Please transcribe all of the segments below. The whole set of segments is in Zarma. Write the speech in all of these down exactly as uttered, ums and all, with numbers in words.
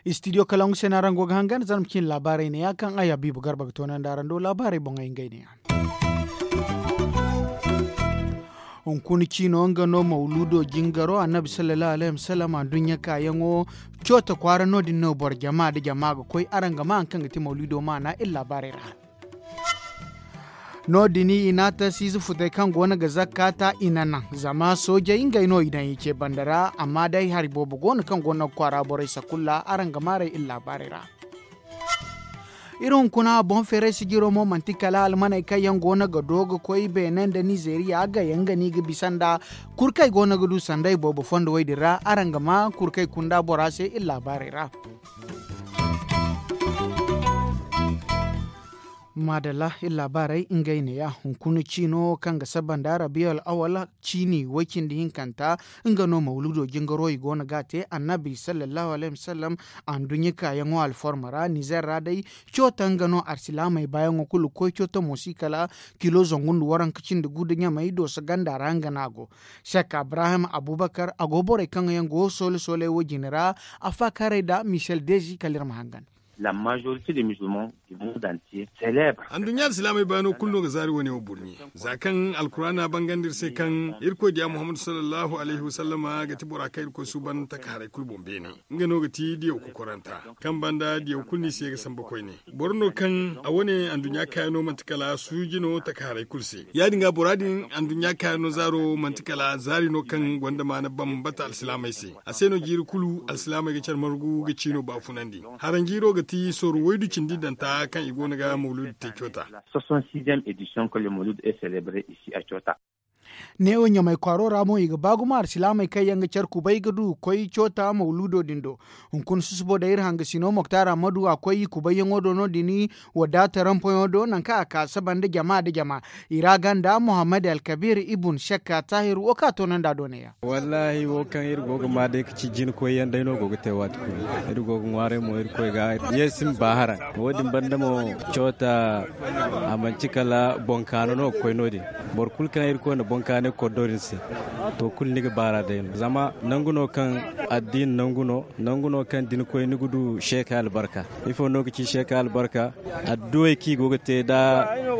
Istidiyo kalangu se no araŋ go ga hangan zarma cine laabaarey ne ya kaŋ ay habiibu garba ga toonandi araŋ do laabaarey boŋey ngey ne ya. Hunkuna ciino nga no mawluudo jingaro annabi sallallahu alaihi wasallam anduɲɲa kaayaŋo. Coota kwaara no- din no boro jama nda jama ga koy araŋ ga maa hari kaŋ ga ti mawluudo maana iri laabaarey ra. No- din i na a ta siize futey kaŋ go no ga zakka ta i na naŋ zama soojey ngey no i daŋ i ce banda ra amma day hari boobo go no kaŋ go no ga kwaara borey sakulla araŋ ga maa r'ey iri laabaarey ra. Iri hunkuna boŋ feeray sijiro mo manti kala almaney kaŋ yaŋ go no ga do ga koy beene nda nizeeriya ga yaŋ ga no i ga bisa nda kurkey go no ga du sanda i boobo fondo wo- din ra araŋ ga maa kurkey kunda bora se iri laabaarey ra. Maadalla iri laabaarey ngey neeya hunkuna ciino kaŋ ga saba nda rabiyal awal ciini way- cindi hinkanta. Nga no mawluudo jingaro i go no ga a te annabi sallallahu alaihi wasallam anduɲɲa kaayaŋo alforma ra nizer ra day. Coota nga no alsilaamey baayaŋo kulu ga koy coota mo si kala kilo zangu nda waranka cindi gu nda ɲamey dooso ganda ra nga no a go. Sek abrahim abubakar a go borey kaŋ yaŋ go soole sooley wo- jine ra. Afaakaarey nda michel dezi kala iri ma hangan. Anduɲɲa alsilaamey baano kulu no ga zaari wane wo burɲe za kaŋ alkuraana bangandi iri se kaŋ irkoy diya muhammadu sallallahu alayhi wasallama ga ti bora kaŋ irkoy suuban taka haray kulu boŋ beene. Nga no ga ti diyaw kokoranta kaŋ banda diyaw kulu no i se ga samba koyne. Boro no kaŋ a wane anduɲɲa kaayano manti kala suuji no taka haray kulu se ya- din ga bora din anduɲɲa kaayano zaaro manti kala zaari no kaŋ gonda maana bambata alsilaamey se. A se no jiiri kulu alsilaamey ga care margu ga ciino baafunandi. Haranjiiro ga ti sorro waydu cindi danta kaŋ i go no ga mawluudu te coota. Soixante sixième édition que le mawluudu est célébré ici à coota. Neewo ɲamay kwaaro ra mo i ga ba gumo alsilaamey kaŋ yaŋ ga care kubay ga du ga koy coota mawluudo din do. Hunkuna susubo day iri hangasino moktar ammadu a koy i kubayyaŋo do no- din. Wadaata rampoyaŋo do nangu kaŋ a ka saba nda jama nda jama. I ra ganda muhammad alkabir ibun shakka taahir wo kaŋ a toonandi a do neeya. Wallaahi wo kaŋ iri go ga maa day ga ci jinkoyyaŋ day no go ga te waati kulu. Iri go ga ŋwaaray mo irkoy ga ye si ma ba haraŋ. Wo- din banda mo coota a manci kala boŋ kaano no ga koy no- din. Boro kulu kaŋ irkoy na boŋ kaanay kordo din se to kulu ni ga baar'a day no zama nangu no kaŋ addiina nangu no. Nangu no kaŋ da ni koy ni ga du seekay albarka. Ifo no ga ci seekay albarka? Adduwey kaŋ i go ga te nda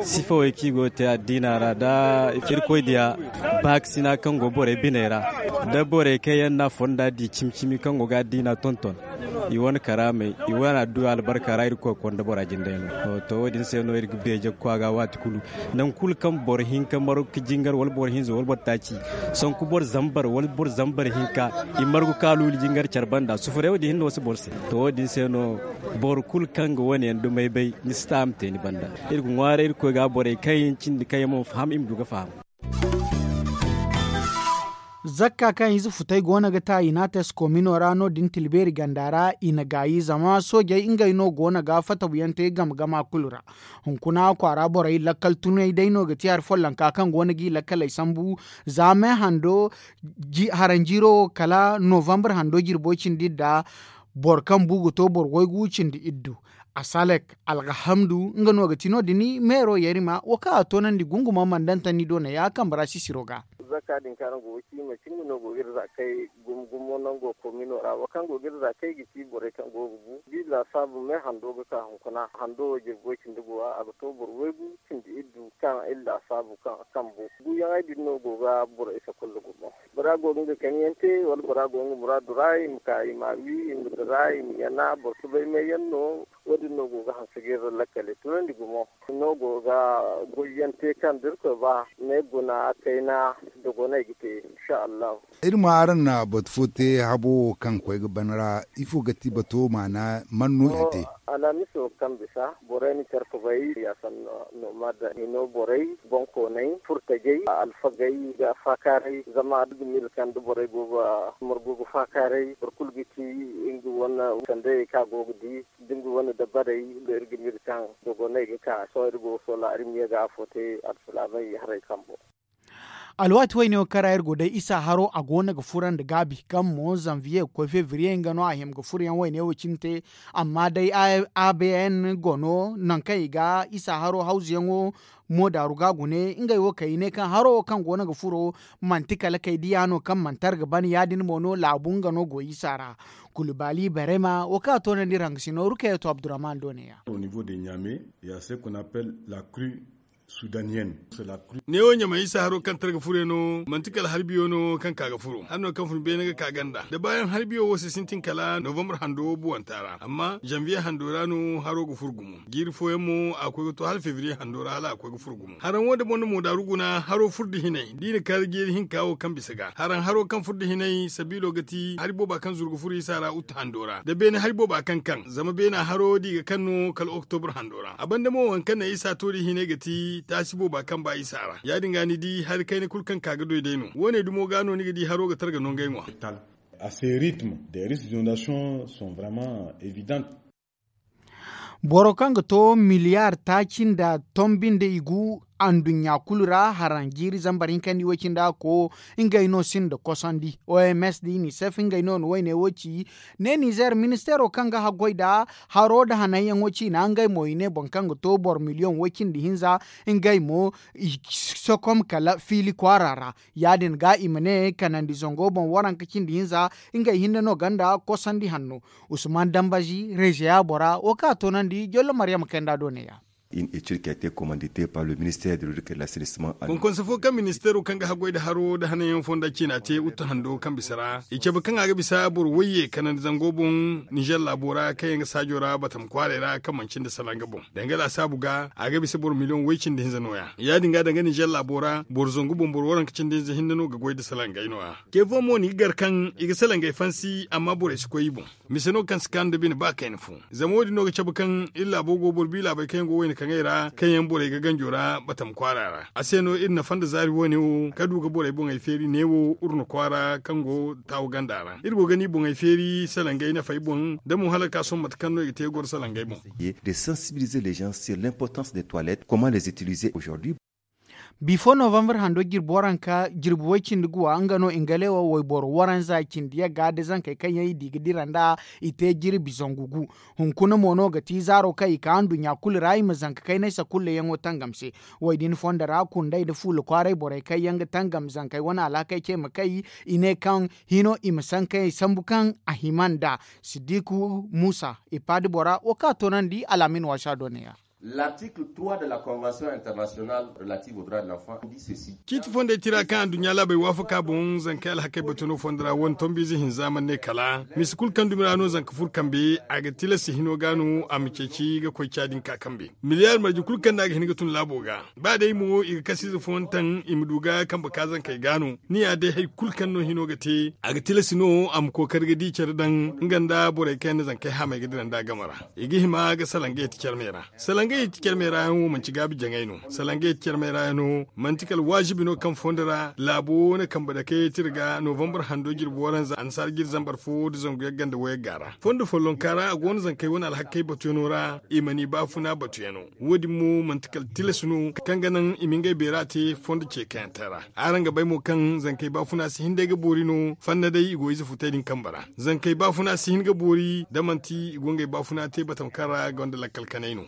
sifawey kaŋ i go ga te addiina ra nda irkoy diya baakasina kaŋ go borey biney ra nda borey kaŋ yaŋ no a fonda di cimi cimi kaŋ go ga addiina tonton. I wane karaamey i wane adduwa albarka ra irkoy konda bora jinday no. To wo- din se no iri ga beeje ga koy a ga waati kulu. Nangu kulu kaŋ boro hinka margu ga jingar wala boro hinza wala boro taaci sanku boro zambar wala boro zambar hinka i margu kaaluuli jingar care banda sufuray wo- din hinne wo si boro se. To wo- din se no boro kulu kaŋ ga wane yaŋ dumey bay ni si ta a ma te ni banda. Iri ga ŋwaaray irkoy ga borey kaŋ yaŋ cindi kaŋ yaŋ mana faham i ma du ga faham. Zakka kaŋ ize futay go no ga ta i n'a te si koomino ra no- din tilbeeri ganda ra i na gaayi zama soojey ngey no go no ga fatabuyaŋ te game gama kulu ra. Hunkuna kwaara borey lakkal tunay day no ga ti hari follonka kaŋ go no g'i lakkaley sambu za me hando haranjiiro wo kala novambre hando jirbo cindi nda boro kaŋ bu ga to boro waygu cindi iddu. Asalek algahamdu nga no ga ti no- din meero yarima wo kaŋ a toonandi gunguma mandantanni do neeya kambe ra sisiro ga. Zakka din kaŋ araŋ go ga ci manti nga no go ga iri zaakey gumo gumo nango koomino ra wo kaŋ go ga iri zaakey ga ci borey kaŋ go ga bu da i laasaabu me hando ga ka hunkuna hando wo jirbo cindi go a ga to boro waygu cindi iddu kaŋ iri laasaabu kaŋ a kambu guyaŋey din no go ga borey sakulla gumo. Bora go ga nga kaŋ yaŋ te wala bora go ga nga muraadu ra i ma ka i ma a wi i ma dira i ma yana boro si bay me yaŋ no. Wo- din no go ga hanse ga iri lakkale tunandi gumo no go ga goyyaŋ te kaŋ da irkoy ba ne guna kayna dogoney ga te. Insa allahu. Iri ma araŋ na batu fo te habo wo kaŋ koy ga ban ra ifo ga ti bato maana man no i te? Alhamiso kaŋ bisa borey na care kubay ya sanno no ma da hino borey boŋkooney furtajey alfagey ga faakaaray zama da ga miila kaŋ da borey go ga margu ga faakaaray boro kulu ga ci nga wane sandayey kaŋ a go ga di da nga wane dabarey da iri ga miila kaŋ dogoney ga ka sohõ iri go ga soola iri ma ye ga afo te alsilaamey haray kambo. Alwaati wayne wo kaŋ ra iri go day isa haro a go no ga furo nda gaabi kaŋ mo zanviye ga koy fevriye nga no a hima ga furo yaŋ wayne wo cine te. Amma day a b n gono nangu kaŋ i ga isa haro hawzuyaŋo moodaaru ga gune ngey wo kay i ne kaŋ haro wo kaŋ go no ga furo manti kala kay diya no kaŋ manti arga ban ya- din mo no laabu nga no go isa ra. Kulu baali barema wo kaŋ a toonandi iri hangasino rukayeto abdurrahman do ne ya. Neewo ɲamay isa haro kaŋ tara ga furo yaŋ no manti kala hari biyo no kaŋ ka ga furo hari no kaŋ fun beene ga ka ganda da baayaŋ hari biyo wo si sintin kala novambar hando buwanta ra amma zanviye hando ra no haro ga furo gumo. Jiiri fooyaŋ mo a koy ga to hala fevriye hando ra hala a koy ga furo gumo haraŋ wo da boŋ na moodaaru guna haro furo da hinay da i na kar jiiri hinka wo kaŋ bisa ga haraŋ haro kaŋ furo da hinay sabiilo ga ti hari booba kaŋ zuru ga furo isa ra utu hando ra da beene hari booba kaŋ kaŋ zama beena haro da i ga kaŋ no kala oktobur hando ra a banda mo waŋ kaŋ naŋ isa to da i hinay ga ti taasi booba kaŋ ba isa ra ya- din ga ni di hari kayna kulu kaŋ ka ga doy day no wo- ne dumo ga no ni ga di haro ga tara ga no ngey ŋwa. A se ritme des risques d'inondation sont vraiment évidentes. Boro kaŋ ga to miliyar taaci nda tombi nda i gu anduɲɲa kulu ra haraŋ jiiri zambar hinka nda i way cindi a ko ngey no sinda kosandi oms da i ni sef ngey no na wayne wo ci. Ne nizer ministeero kaŋ ga haggoy nda haro nda hananyaŋo ciina ngey mo i ne boro kaŋ ga to boro miliyoŋ way cindi hinza ngey mo i sokom kala fiili kwaara ra. Ya- din ga i ma ne kanandi zango boŋ waranka cindi hinza ngey hinne no gonda kosandi hanno. Usman dambazi rezeya bora wo kaŋ a toonandi jollo maryama kayanda do neeya. Une étude qui a été commanditée par le ministère de l'eau et de l'assainissement. Bonkonsey fo kaŋ ministeero kaŋ ga haggoy nda haro nda hananyaŋ fonda ciina te utu hando kaŋ bisa ra i cabe kaŋ a ga bisa boro wayye kanandi zango boŋ nizer laabo ra kaŋ yaŋ ga saajo ra batam kwaaray ra kaŋ manci nda salanga boŋ. Danga laasaabu ga a ga bisa boro miliyoŋ way cindi hinza nooya ya- din ga danga nizer laabo ra boro zangu boŋ boro waranka cindi hinza hinne no ga goy nda salangey nooya. Te fo mo no i ga gar kaŋ i ga salangey fansi amma borey si koy i boŋ. Mise no kaŋ si kaanu nda bine ba kayna fo. Zama wo- din no ga cabe kaŋ iri laabo go boro bi laabey kaŋ yaŋ go wayna kaŋey ra kaŋ yaŋ borey ga ganjo ra batam kwaara ra a se no iri nafa nda zaari wo- ne wo ka du ga borey boŋey feeri neewo urna kwaara kaŋ go taawu ganda ra iri go ga ni boŋey feeri salangey nafey boŋ da mo hala ga ka sohõ mate kaŋ no i ga te goro salangey boŋ. De sensibiliser les gens sur l'importance des toilettes comment les utiliser aujourd'hui. Bifo novambar hando jirbi waranka jirbi way cindi guwa nga no ingalewo wayboro waranza cindi yagga da zankey kaŋ yaŋ i di ga dira nda i te jirbi zangu gu. Hunkuna mo no ga ti zaaro kaŋ i ka nduɲɲa kulu ra i ma zanka kaynay sakullayaŋo tangam se. Way din fondo ra kundey nda fuula kwaaray borey kaŋ yaŋ ga tangam zankey wane alhakey ce ma kay i ne kaŋ hino i ma sankayey sambu kaŋ a hima nda. Siddiku musa ipaadi bora wo kaŋ a toonandi alaamin waasa do neeya. L'article trois de la convention internationale relative au droit de l'enfant dit ceci. Ciiti fondey tira kaŋ anduɲɲa laabey waafaka boŋ zankey alhakey batuno fondo ra wane tombiize hinza mana ne kala misa kulu kaŋ dumi ra no zanka fur kambe a ga tilasi hino ga no a ma ceeci ga koy caadin ka kambe. Miliyaari marje kulu kaŋ no a ga hin ga tun laabo ga ba day mo i ga kasiize fooyaŋ taŋ i ma du ga kambe ka zankey ga no. Ni ya day hari kulu kaŋ no hino ga te a ga tilasi no a ma kookari ga di care daŋ nga nda borey kaŋ yaŋ na zankey hamey ga dira nda a game ra. I ga hima ga salangey ti care me ra. Salangey ti care me ra yaŋ wo manti gaabi jaŋay no. Salangey ti care me ra yaŋ no manti kala waazibi no kaŋ fondo ra laabo wo na kambe dakey tira ga novambar hando jirbi waranza annasaara jiri zambar fo nda zangu yagga nda wayagga ra fondo follonka ra a go no zankey wane alhakey batuyaŋo ra. I mana i baafuna batuyaŋo wo- din mo manti kala tilas no kaŋ ga naŋ i ma ngey beera te fondo ce kayantaŋ ra. Araŋ ga bay mo kaŋ zankey baafuna si hin day ga boori no fanna day i go ize futay din kambe ra. Zankey baafuna si hin ga boori da manti i go ngey baafuna te batama kaŋ ra gonda lakkal kanay no.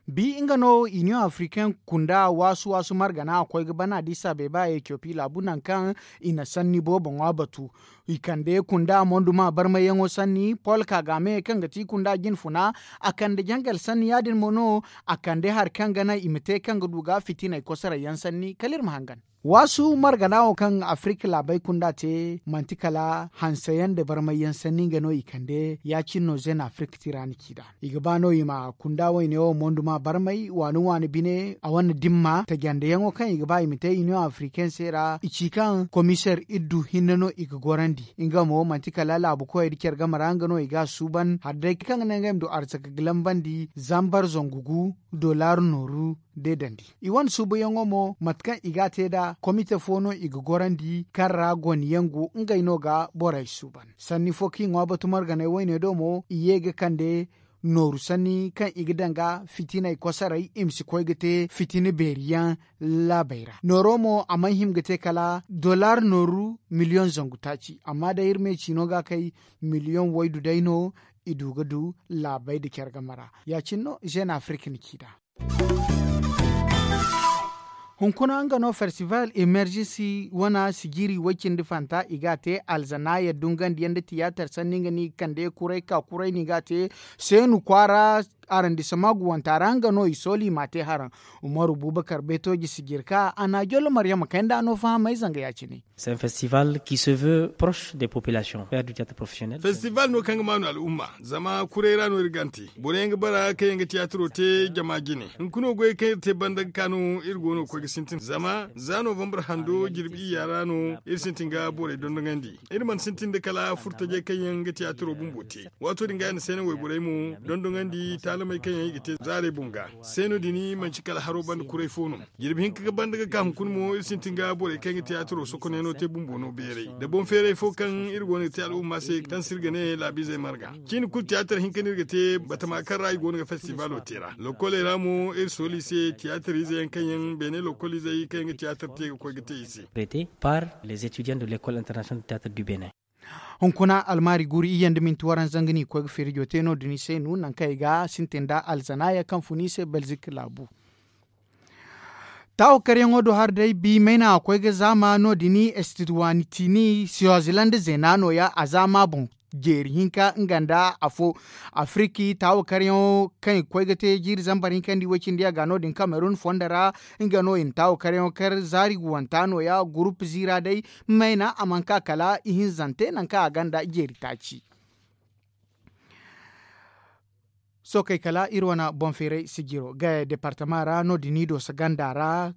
Bi nga no union africaine kunda waasu waasu margana a koy ga bana da isa beeba etiopi laabu nangu kaŋ i na sanni boobo ŋwa batu. I kande kunda monduma barmayyaŋo sanni pol kagame kaŋ ga ti kunda jine funa. A kande jangal sanni ya- din mo no a kande hari kaŋ ga naŋ i ma te kaŋ ga du ga fitiney kosorey yaŋ sanni kala iri ma hangan. Waasu margana wo kaŋ afirika laabey kunda te manti kala hanseyaŋ nda barmayyaŋ sanni nga no i kande ya- cine no zena afirika tira na ci nd'a. I ga ba no i ma kunda wayne wo monduma barmay waani waani bine a wane dimma tajandeyaŋo kaŋ i ga ba i ma te union africaine se ra i ci kaŋ komiser iddu hinne no i ga gorandi. Nga mo manti kala laabu koyey da care game ra nga no i ga a suuban hari day kaŋ ga naŋ ngey ma du arzaka ga lambandi zambar zangu gu dollar nooru deedandi. I wane suubuyaŋo mo mate kaŋ i ga a te nd'a komite fo no i ga gorandi kaŋ ra goniyaŋ go ngey no ga borey suuban sanni fo kaŋ i ŋwa batu marganay wayne do mo i ye ga kande. nooru sanni kaŋ i ga daŋ ga fitiney kosoray i ma si koy ga te fitina beeri yaŋ laabey ra. Nooro mo a mana hima ga te kala dollar nooru miliyoŋ zangu taaci amma day iri ma ye ciino ga a kay miliyoŋ waydu day no i du ga du laabey nda care game ra. Ya- cine no zeena afirika na ci nd'a. Hunkuna nga no festival emergency wane sijiri way- cindi fanta i ga a te alzanaaya dungandiyaŋ nda tiyaatar sanni nga no i ga kande kuray ka kuray no i ga a te. Seenu kwaara arandisama guwanta ra nga no i sooli i m'a te haraŋ. Umaru bubakar beetooji sijiri ka a na a jollo maryama kay nd'a no fahamay zanga ya- cine. C'est un festival qui se veut proche des populations faire du théâtre professionnel. Festival no kaŋ ga maanu al'umma zama kuray ra no iri ga a te. Boro yaŋ ga bara kaŋ yaŋ ga tiyaatiro te jama jine. Hunkuna goyey kaŋ iri te banda ga ka no iri go no ga koy ga sintin zama za novembre hando jirbi iyya ra no iri sintin ga borey dondonandi. Iri mana sintin nda kala furtajey kaŋ yaŋ ga tiyaatiro bumbo te. Waato din ga ya na seena wayborey mo dondonandi taalamey kaŋ yaŋ i ga te zaarey boŋ ga. Seeno din manci kala haro banda kuray fo no. Jirbi hinka ga banda ga ka hunkuna mo iri sintin ga borey kaŋ ga tiyaatiro sokoneeno te bumbo no beeray da boŋ feeray fo kaŋ iri go no ga te al'umma se kaŋ se iri ga ne laabiizey marga. Ciini kulu tiyaatar hinka no iri ga te batama kaŋ ra i go no ga festivalo te ra lokoley ra mo iri sooli i se tiyaatariize yaŋ kaŋ yaŋ beene lokoliizey kaŋ yaŋ ga tiyaatar te ga koy ga te i se. Prêté par les étudiants de l'école internationale de théâtre du bénin. Hunkuna almaari guuru iyye nda minti waranza nga no i ga koy ga feerijo te no- din i se no nangu kaŋ i ga sintin nda alzanaaya kaŋ fun i se belzik laabu. Taawo karyaŋo do hari day bi mayna a koy ga zaama no- din estit waani tiini siwazilanda zeena nooya a zaama boŋ jeeri hinka nga nda afo. Afiriki taawo karyaŋo kaŋ i ga koy ga te jiiri zambar hinka nda i way- cindi a ga no- din kamerun fondo ra. Nga no i na taawo karyaŋo kar zaari guwanta nooya gurup ziira day. Mayna a mana ka kala ihinzante nangu kaŋ a gonda jeeri taaci. Sookey kala iri wane boŋ feeray sijiro gaya departama ra no- din i dooso ganda ra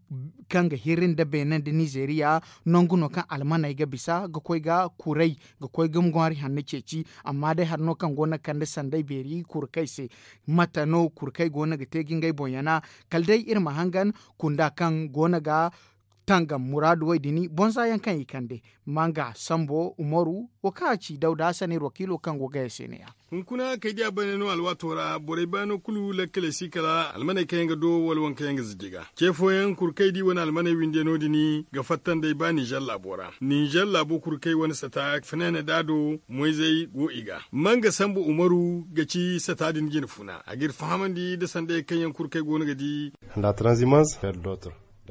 kaŋ ga hirri nda beene nda nizeeriya. Nangu no kaŋ almaney ga bisa ga koy ga kuray ga koy ga ŋwaari hanno ceeci. Amma day hari no kaŋ go no ga kande sanday beeri kurkey se. Mate no kurkey go no ga te ga ngey boŋ yana? Kala day iri ma hangan kunda kaŋ go no ga tangam muraadu way din boŋ za yaŋ kaŋ i kande. Manga sambo umaru wo kaŋ a ci dawda hassan iri wakiilo kaŋ go gaya se ne- ya. Hunkuna kay diya bane no alwaato ra borey baano kulu lakkaley si kala almaney kaŋ yaŋ ga do wala waŋ kaŋ yaŋ ga ziji ga ce fooyaŋ kurkey di wane almaney winde no- din ga fatta nd'ey ba ninzeer laabo ra. Ninzeer laabo kurkey wane sata fanaana da do moyzey go i ga. Manga sambu umaru ga ci sata din jine funa a g'iri fahamandi nda sandayey kaŋ yaŋ kurkey go no ga di.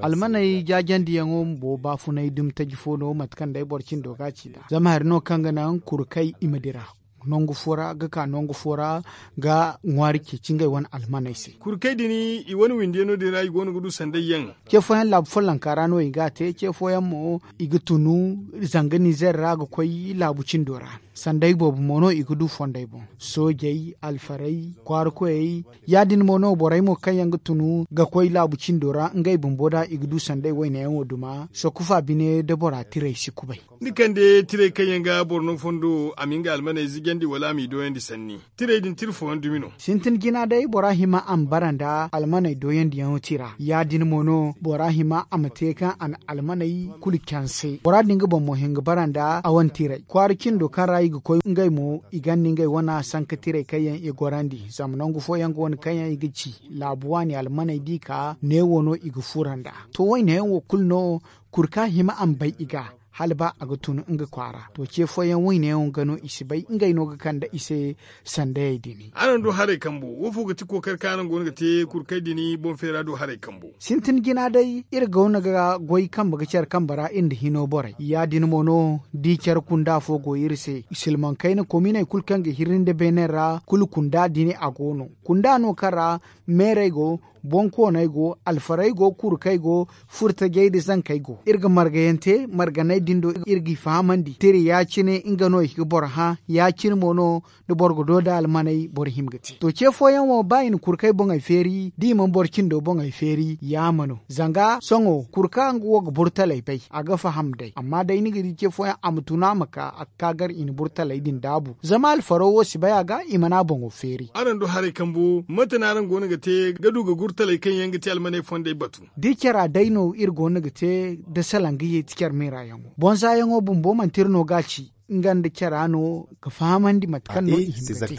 Almaney jaajandiyaŋo bumbo baafunay dumi taji fo no mate kaŋ day boro cindo ga a ci nd'a zama hari no kaŋ ga naŋ kurkey i ma dira nangu fo ra ga ka nangu fo ra ga ŋwaari ceeci ngey wane almaney se. Kurkey din i wane windiyaŋo din ra i go no ga du sanday yaŋ. Ce fooyaŋ laabu follonka ra no i ga a te ce fooyaŋ mo i ga tunu zanga nizeer ra ga koy laabu cindo ra. Sanday boobo mo no i ga du fondey boŋ soojey alfarey kwaara koyey. Ya- din mo no borey mo kaŋ yaŋ ga tunu ga koy laabu cindo ra ngey bumbo da i ga du sanday wayne yaŋo duma sokufa bine da bora tirey si kubay. Ni kande tirey kaŋ yaŋ ga boro no fondo a ma nga almaney zijandi wala a m'i dooyandi sanni. Tirey din tira fooyaŋ dumi no. Sintin jina day bora hima a ma bara nda almaney dooyandiyaŋo tira ya- din mo no bora hima a ma te kaŋ a na almaney kulu canse bora din ga boŋ mo hin ga bara nda a wane tirey kwaara cindo kaŋ ra i ga koy ngey mo i gonda ngey wane sanka tirey kaŋ yaŋ i gorandi zama nangu fooyaŋ go no kaŋ yaŋ i ga ci laabu waani almaney da i ka neewo no i ga fura nd'a. To wayne yaŋ wo kulu no kurka hima a ma bay i ga hala ba a ga tun nga kwaara to ce fooyaŋ wayne yaŋ ga no i si bay ngey no ga kande i se. Sandayey din. Araŋ du haray kambo wo fo ga ti kookari kaŋ araŋ go no ga te kurkey din boŋ feera du haray kambo. Sintin jina day iri go no ga goy kambe ga care kambe ra iri nda hino borey ya- din mo no da i care kunda fo go iri se silmaŋ kayna kominey kulu kaŋ ga hirri nda beene ra kulu kunda din a go no. Kunda no kaŋ ra meerey go boŋ kooney go alfarey go kurkey go furtajey nda zankey go iri ga margayaŋ te marganey din do iri g'i fahamandi tira ya- cine nga no i ga boro hã ya- cine mo no da boro ga do nda almaney boro hima ga te to ce fooyaŋ wo ba i na kurkey boŋey feeri da i mana boro cindo boŋey feeri yaama no zanga sohõ kurka nga wo ga burtaley bay a ga faham day amma day ni ga di ce fooyaŋ a ma tun a ma ka a ga ka gar i na burtaley din daabu zama alfaro wo si bay a ga i mana boŋo feeri. Araŋ du haray kambo mate no araŋ go no ga te ga du ga gurtaley kaŋ yaŋ ga te almaney fondey batu? Da i cara day no iri go no ga te da salanga ye ti care meera yaŋo boŋ za yaŋo bumbo manti iri no ga a ci. nga nda cara no ga fahamandi mate kaŋ no i hima ga te.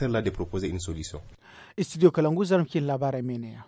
Studio kalangu zarma ciine laabaarey me ne- ya.